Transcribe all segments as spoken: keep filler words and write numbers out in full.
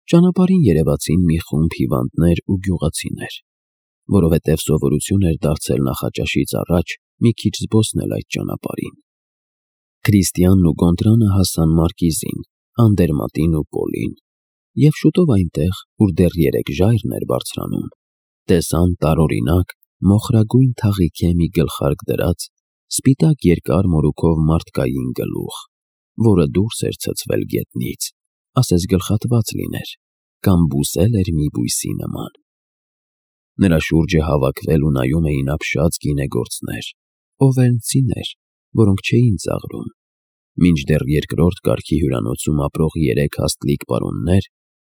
Ճանապարհին երևացին մի խումբ հիվանդներ ու գյուղացիներ, որովհետև սովորություն էր դարձել նախաճաշից առաջ մի քիչ զբոսնել այդ ճանապարհին։ Քրիստիանն ու Գոնտրանը հասան Մարկիզին, Անդերմատին ու Պոլին, և շուտով այնտեղ, ուր դեռ երեք ժայռն էր բարձրանում, տեսան տարօրինակ մոխրագույն թաղիքե մի գլխարկ դրած, սպիտակ երկար մորուքով մարդկային գլուխ, որը դուրս էր ցցվել գետնից, ասես գլխատված լիներ, կամ բուսել էր մի բույսի նման։ Նրա շուրջը հավաքվել ու նայում էին ապշած գինեգործներ, օվերնցիներ, որոնք չէին ծաղրում, մինչդեռ երկրորդ կարգի հյուրանոցում ապրող երեք հաստլիկ պարոններ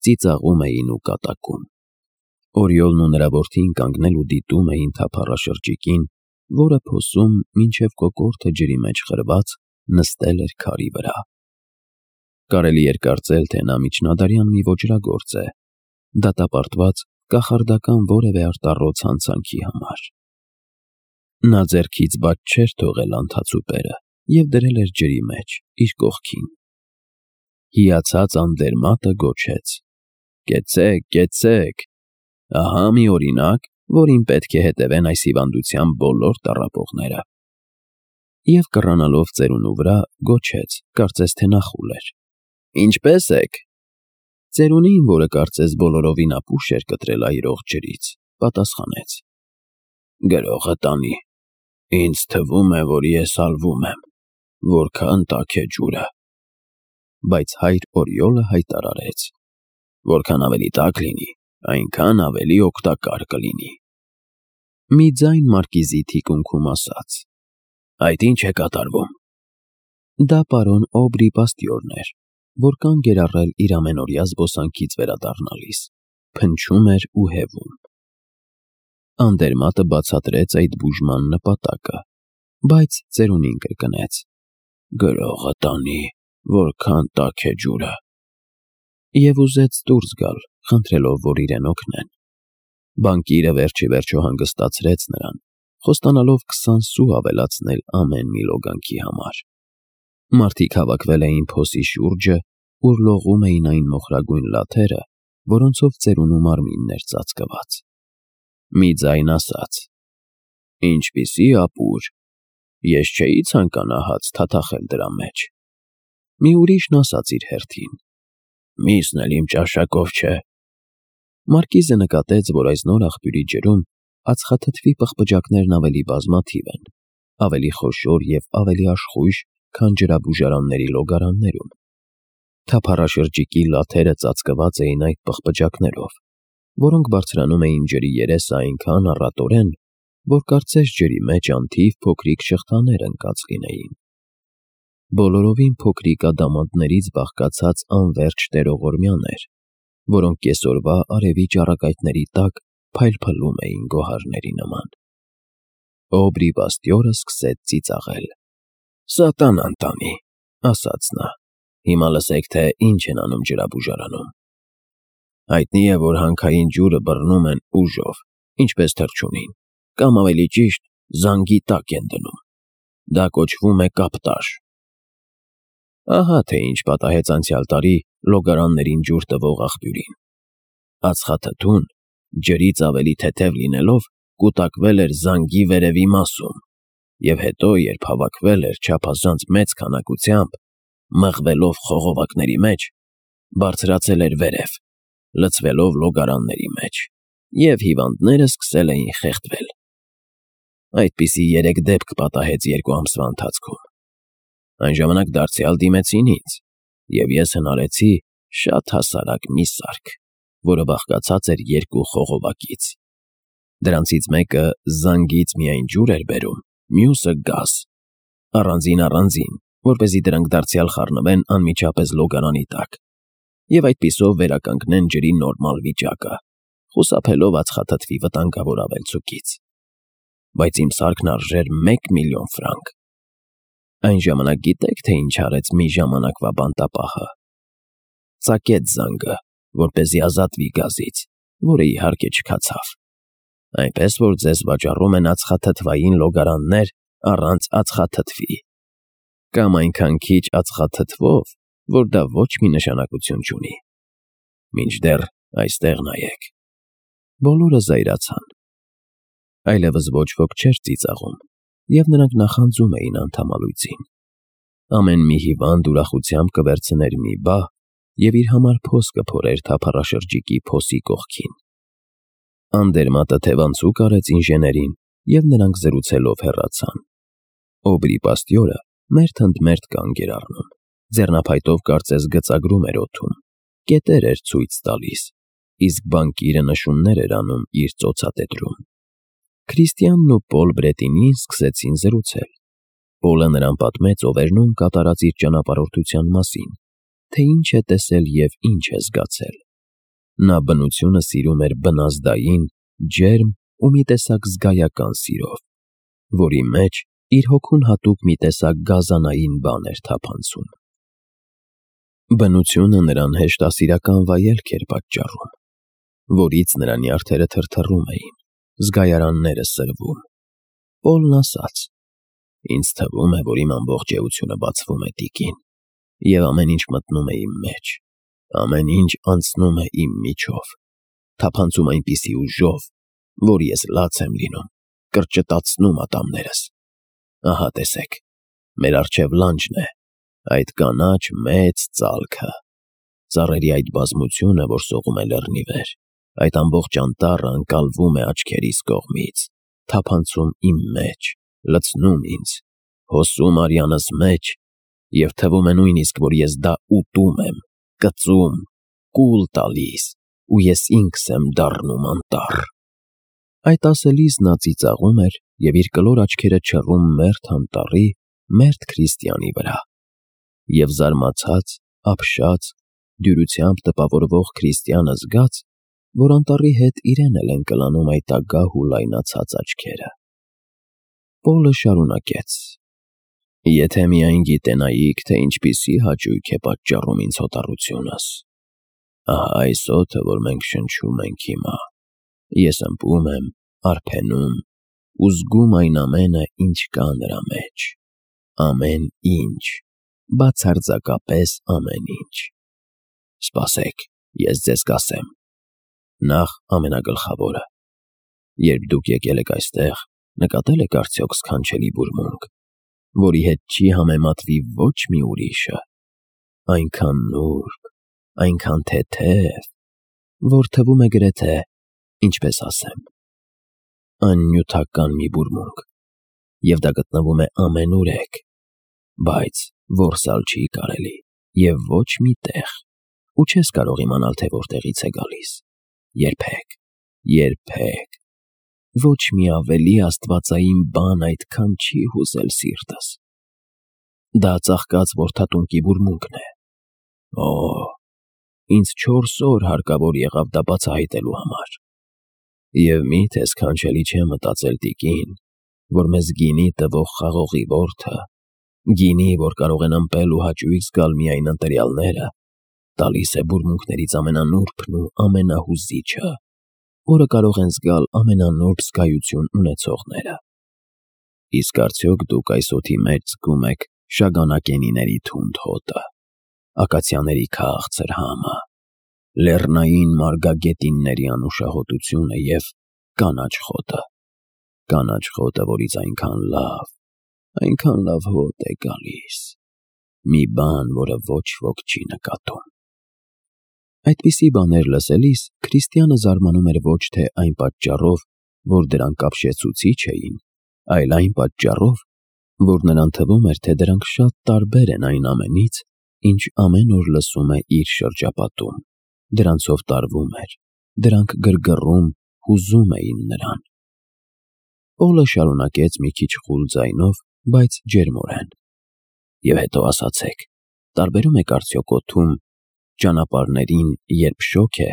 ծիծաղում էին ու կատակում։ Օրիոլն ու նրա որդին կանգնել ու դիտում էին թափառաշրջիկին, որը փոսում, մինչև կոկորդը ջրի մեջ խրված, նստել էր քարի վրա։ Կարելի էր կարծել, թե նա միջնադարյան մի ոճրագործ է, դատապարտված կախարդական որևէ արտառոց հանցանքի համար։ Նա ձեռքից բաց չէր թողել անթացուպերը և դրել էր ջրի մեջ, իր կողքին։ Հիացած Անդերմատը գոչեց. «Կեցեք, կեցեք, ահա մի օրինակ, որին պետք է հետևեն այս հիվանդության բոլոր տառապողները»։ Եվ կռանալով ծերունու վրա, գոչեց, կարծես թե նա խուլ էր. «Ինչպե՞ս եք»։ Ծերունին, որը կարծես բոլորովին ապուշ էր կտրել այրող ջրից, պատասխանեց. «Գրողը տանի, ինձ թվում է, որ ես սալվում եմ, որքան տաք է ջուրը»։ Բայց հայր Օրիոլը հայտարարեց. «Որքան ավելի տաք լինի, այնքան ավելի օգտակար կլինի»։ Մի ձայն Մարկիզի թիկունքում ասաց. «Այդ ի՞նչ է կատարվում»։ Դա պարոն Օբրի պաստյորն էր, որ կանգ էր առել իր ամենօրյա զբոսանքից վերադառնալիս, փնչում էր ու հևում։ Անդերմատը բացատրեց այդ բուժման նպատակը, բայց ծերունին կրկնեց. «Գրողը տանի, որքան տաք է ջուրը»։ Եվ ուզեց դուրս գալ, խնդրելով, որ իրեն օգնեն։ Բանկիրը վերջիվերջո հանգստացրեց նրան, խոստանալով քսան սու ավելացնել ամեն մի լոգանքի համար։ Մարդիկ հավաքվել էին փոսի շուրջը, ուր լողում էին այն մոխրագույն լաթերը, որոնցով ծերունու մարմինն էր ծածկված։ Մի ձայն ասաց. «Ինչպիսի ապուր, ես չէի ցանկանա հաց թաթախել դրա մեջ»։ Մի ուրիշն ասաց իր հերթին. «Միսն էլ իմ ճաշակով չէ»։ Մարկիզը նկատեց, որ այս նոր աղբյուրի ջրում ածխաթթվի պղպջակներն ավելի բազմաթիվ են, ավելի խոշոր և ավելի աշխույժ, քան ջրաբուժարանների լոգարաններում։ Թափառաշրջիկի լաթերը ծածկված էին այդ պղպջակներով, որոնք բարձրանում էին ջրի երեսը այնքան առատորեն, որ կարծես ջրի մեջ անթիվ փոքրիկ շղթաներ ընկած լինեին։ Բոլորովին փոքրիկ ադամանդներից բաղկացած անվերջ տերողորմյան էր, որոնք կեսօրվա արևի ճառագայթների տակ փայլփլում էին գոհարների նման։ Օբրի պաստյորը սկսեց ծիծաղել։ «Սատանան տանի», ասաց նա, «հիմա լսեք, թե ինչ են անում ջրաբուժարանում։ Հայտնի է, որ հանքային ջուրը բռնում են ուժով, ինչպես թռչունին, կամ ավելի ճիշտ, զանգի տակ են դնում։ Դա կոչվում է կապտաժ։ Ահա թե ինչ պատահեց անցյալ տարի լոգարաններին ջուր տվող աղբյուրին։ Ածխաթթուն, ջրից ավելի թեթև լինելով, կուտակվել էր զանգի վերևի մասում, և հետո, երբ հավաքվել էր չափազանց մեծ քանակությամբ, մղվելով խողովակների մեջ, բարձրացել էր վերև, լցվելով լոգարանների մեջ, և հիվանդները սկսել էին խեղդվել։ Այդպիսի երեք դեպք պատահեց երկու ամսվա ընթացքում։ Այն ժամանակ դարձյալ դիմեցին ինձ, և ես հնարեցի շատ հասարակ մի սարք, որը բաղկացած էր երկու խողովակից։ Դրանցից մեկը զանգից միայն ջուր էր բերում, մյուսը՝ գազ, առանձին-առանձին, որպեսզի դրանք դարձյալ խառնվեն անմիջապես լոգարանի տակ, և այդպիսով վերականգնեն ջրի նորմալ վիճակը, խուսափելով ածխաթթվի վտանգավոր ավելցուկից։ Բայց իմ սարքն արժեր մեկ միլիոն ֆրանկ։ Այն ժամանակ գիտե՞ք, թե ինչ արեց մի ժամանակվա բանտապահը։ Ծակեց զանգը, որպեսզի ազատվի գազից, որը իհարկե չքացավ։ Այնպես որ ձեզ վաճառում են ածխաթթվային լոգարաններ առանց ածխաթթվի, կամ այնքան քիչ ածխաթթվով, որ դա ոչ մի նշանակություն չունի։ Մինչդեռ այստեղ նայեք։ Բոլորը զայրացան։ Այլևս ոչ ոք չէր ծիծաղում, և նրանք նախանձում էին անդամալույծին։ Ամեն մի հիվանդ ուրախությամբ կվերցներ մի բահ և իր համար փոս կփորեր թափառաշրջիկի փոսի կողքին։ Անդերմատը թևանցուկ արեց ինժեներին, և նրանք զրուցելով հեռացան։ Օբրի պաստյորը մերթ ընդ մերթ կանգ էր առնում, ձեռնափայտով կարծես գծագրում էր օդում, կետեր էր ցույց տալիս, իսկ բանկիրը նշումներ էր անում իր ծոցատետրում։ Քրիստիանն ու Պոլ Բրետինին սկսեցին զրուցել։ Պոլը նրան պատմեց Օվերնում կատարած իր ճանապարհորդության մասին, թե ինչ է տեսել և ինչ է զգացել։ Նա բնությունը սիրում էր բնազդային, ջերմ ու մի տեսակ զգայական սիրով, որի մեջ իր հոգուն հատուկ մի տեսակ գազանային բան էր թափանցում։ Բնությունը նրան հեշտասիրական վայելք էր պատճառում, որից նրա նյարդերը թրթռում էին, զգայարանները սրվում։ Պոլն ասաց. «Ինձ թվում է, որ իմ ամբողջ էությունը բացվում է, տիկին, և ամեն ինչ մտնում է իմ մեջ, ամեն ինչ անցնում է իմ միջով, թափանցում այնպիսի ուժով, որ ես լաց եմ լինում, կրճտացնում ատամներս։ Ահա տեսեք, մեր առջև լանջն է, այդ կանաչ մեծ ծալքը, ծառերի այդ բազմությունը, որ սողում է լեռնի վեր, այդ ամբողջ անտառը ընկալվում է աչքերիս կողմից, թափանցում իմ մեջ, լցնում ինձ, հոսում արյանս մեջ, և թվում է նույնիսկ, որ ես դա ուտում եմ, կծում, կուլ տալիս, ու ես ինքս եմ դառնում անտառ»։ Այդ ասելիս նա ծիծաղում էր և իր կլոր աչքերը չռում մերթ անտառի, մերթ Քրիստիանի վրա, և զարմացած, ապշած, դյուրությամբ տպավորվող Քրիստիանը զգաց, որ անտառի հետ իրեն էլ են կլանում այդ ագահ ու լայնացած աչքերը։ Պոլը շարունակեց. «Եթե միայն գիտենայիք, թե ինչպիսի հաճույք է պատճառում ինձ հոտառությունս։ Ահա այս օդը, որ մենք շնչում ենք հիմա, ես ըմպում եմ, արբենում ու զգում այն ամենը, ինչ կա նրա մեջ, ամեն ինչ, բացարձակապես ամեն ինչ։ Սպասեք, ես ձեզ կասեմ։ Նախ ամենագլխավորը. երբ դուք եկել եք այստեղ, նկատել եք արդյոք սքանչելի բուրմունք, որի հետ չի համեմատվի ոչ մի ուրիշը, այնքան նուրբ, այնքան թեթև, որ թվում է գրեթե, ինչպես ասեմ, աննյութական մի բուրմունք, և դա գտնվում է ամենուրեք, բայց որսալ չի կարելի և ոչ մի տեղ, ու չես կարող իմանալ, թե որտեղից է գալիս, երբեք, երբեք, ոչ մի ավելի աստվածային բան այդքան չի հուզել սիրտս։ Դա ծաղկած որդատունկի բուրմունքն է։ Օ, ինձ չորս օր հարկավոր եղավ դա բացահայտելու համար։ Եվ մի՞թե սքանչելի չէ մտածել, տիկին, որ մեզ գինի տվող խաղողի որդը, գինի, որ կարող են ըմպել ու հաճույք զգալ միայն ընտրյալները, տալիս է բուրմունքներից ամենանուրբն ու ամենահուզիչը, որը կարող են զգալ ամենանուրբ զգայություն ունեցողները։ Իսկ արդյոք դուք այս օդի մեջ զգում եք շագանակենիների թունդ հոտը, ակացիաների քաղցր համը, լեռնային մարգագետինների անուշահոտությունը և կանաչ խոտը, կանաչ խոտը, որից այնքան լավ, այնքան լավ հոտ է գալիս, մի բան, որը ոչ ոք չի նկատում։ Այդպիսի բաներ լսելիս Քրիստիանը զարմանում էր ոչ թե այն պատճառով, որ դրանք ապշեցուցիչ էին, այլ այն պատճառով, որ նրան թվում էր, թե դրանք շատ տարբեր են այն ամենից, ինչ ամեն օր լսում է իր շրջապատում, դրանցով տարվում էր, դրանք գրգռում, հուզում էին նրան։ Պոլը շարունակեց մի քիչ խուլ ձայնով, բայց ջերմորեն. «Եվ հետո ասացեք, տարբերում եք արդյոք օդում, ճանապարհներին, երբ շոգ է,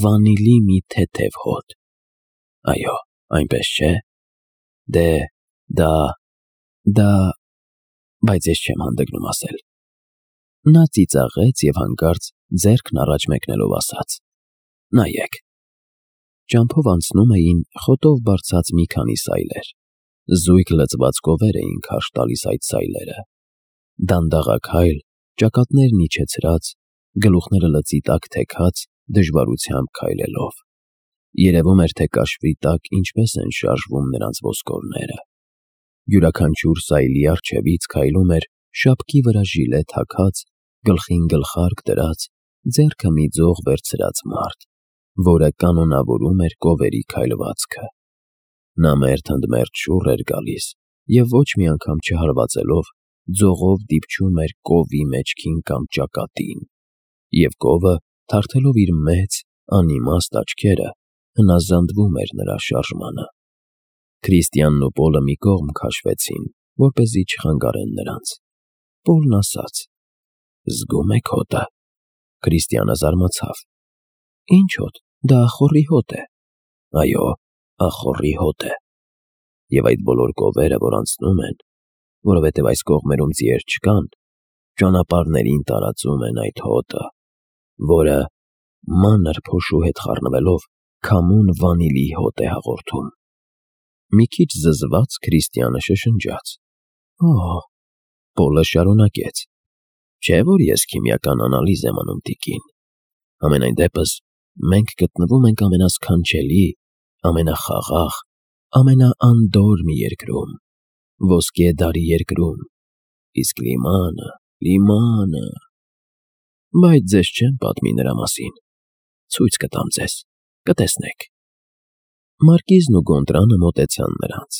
վանիլի մի թեթև հոտ։ Այո, այնպես չէ։ Դե, դա, դա, բայց ես չեմ հանդգնում ասել»։ Նա ծիծաղեց և հանկարծ ձեռքն առաջ մեկնելով ասաց. «Նայեք»։ Ճամփով անցնում էին խոտով բարձած մի քանի սայլեր, զույգ լցված կովեր էին քարշ տալիս այդ սայլերը, դանդաղաքայլ, ճակատներն իջեցրած, գլուխները լծի տակ թեքած, դժվարությամբ քայլելով։ Երևում էր, թե կաշվի տակ ինչպես են շարժվում նրանց ոսկորները։ Յուրաքանչյուր սայլի առջևից քայլում էր շապկի վրա ժիլե թաքած, գլխին գլխարկ դրած, ձեռքը մի ձող վերցրած մարդ, որը կանոնավորում էր կովերի քայլվածքը։ Նա մերթ ընդ մերթ շուռ էր գալիս և ոչ մի անգամ չհարվածելով, ձողով դիպչում էր կովի մեջքին կամ ճակատին, և կովը, թարթելով իր մեծ, անիմաստ աչքերը, հնազանդվում էր նրա շարժմանը։ Քրիստիանն ու Պոլը մի կողմ քաշվեցին, որպեսզի չխանգարեն նրանց։ Պոլն ասաց. «Զգո՞ւմ եք հոտը»։ Քրիստիանը զարմացավ. «Ի՞նչ հոտ, դա ախոռի հոտ է»։ «Այո, ախոռի հոտ է։ Եվ այդ բոլոր կովերը, որ անցնում են, որովհետև այս կողմերում ձիեր չկան, ճանապարհներին տարածում են այդ հոտը, որը, մանր փոշու հետ խառնվելով, քամուն վանիլի հոտ է հաղորդում»։ Մի քիչ զզված Քրիստիանը շշնջաց. «Օ՜»։ Պոլը շարունակեց. «Չէ՞ որ ես քիմիական անալիզ եմ անում, տիկին։ Համենայն դեպս, մենք գտնվում ենք ամենասքանչելի, ամենախաղաղ, ամենաանդոր մի երկրում, ոսկե դարի երկրում, իսկ լիմանը, լիմանը… Բայց ձեզ չեմ պատմի նրա մասին, ցույց կտամ ձեզ, կտեսնեք»։ Մարկիզն ու Գոնտրանը մոտեցան նրանց։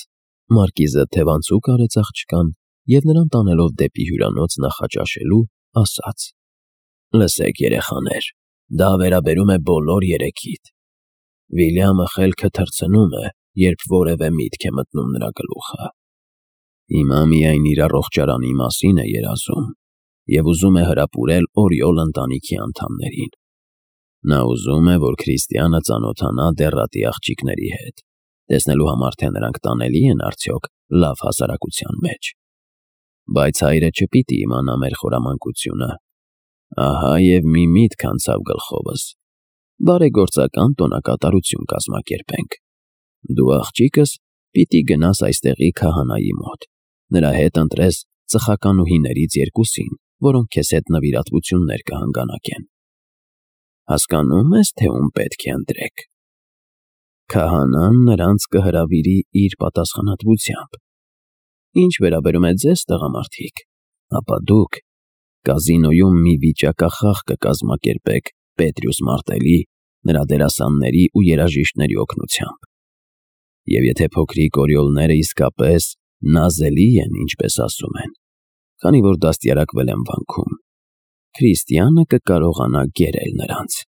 Մարկիզը թևանցուկ արեց աղջկան և նրան տանելով դեպի հյուրանոց նախաճաշելու, ասաց. «Լսեք, երեխաներ, դա վերաբերում է բոլոր երեքիդ։ Վիլյամը խելքը թռցնում է, երբ որևէ միտք է մտնում նրա գլուխը։ Հիմա միայն իր առողջարանի մասին է երազում և ուզում է հրապուրել օրիոլ ընտանիքի անդամներին։ Նա ուզում է, որ Քրիստիանը ծանոթանա դեռատի աղջիկների հետ, տեսնելու համար, թե նրանք տանելի են արդյոք լավ հասարակության մեջ։ Բայց հայրը չպիտի իմանա մեր խորամանկությունը։ Ահա և մի միտք անցավ գլխովս. բարեգործական տոնակատարություն կազմակերպենք։ Դու, աղջիկս, պիտի գնաս այստեղի քահանայի մոտ, նրա հետ ընտրես ծխականուհիներից երկուսին, որոնք քեզ հետ նվիրատվություններ կհանգանակեն։ Հասկանո՞ւմ ես, թե ում պետք է ընտրեք։ Քահանան նրանց կհրավիրի իր պատասխանատվությամբ։ Ինչ վերաբերում է ձեզ, տղամարդիկ, ապա դուք կազինոյում մի վիճակախաղ կկազմակերպեք Պետրյուս Մարտելի, նրա դերասանների ու երաժիշտների օգնությամբ։ Եվ եթե փոքրիկ օրիոլները իսկապես նազելի են, ինչպես ասում են, քանի որ դաստիարակվել եմ վանքում, Քրիստիանը կկարողանա գերել նրանց»։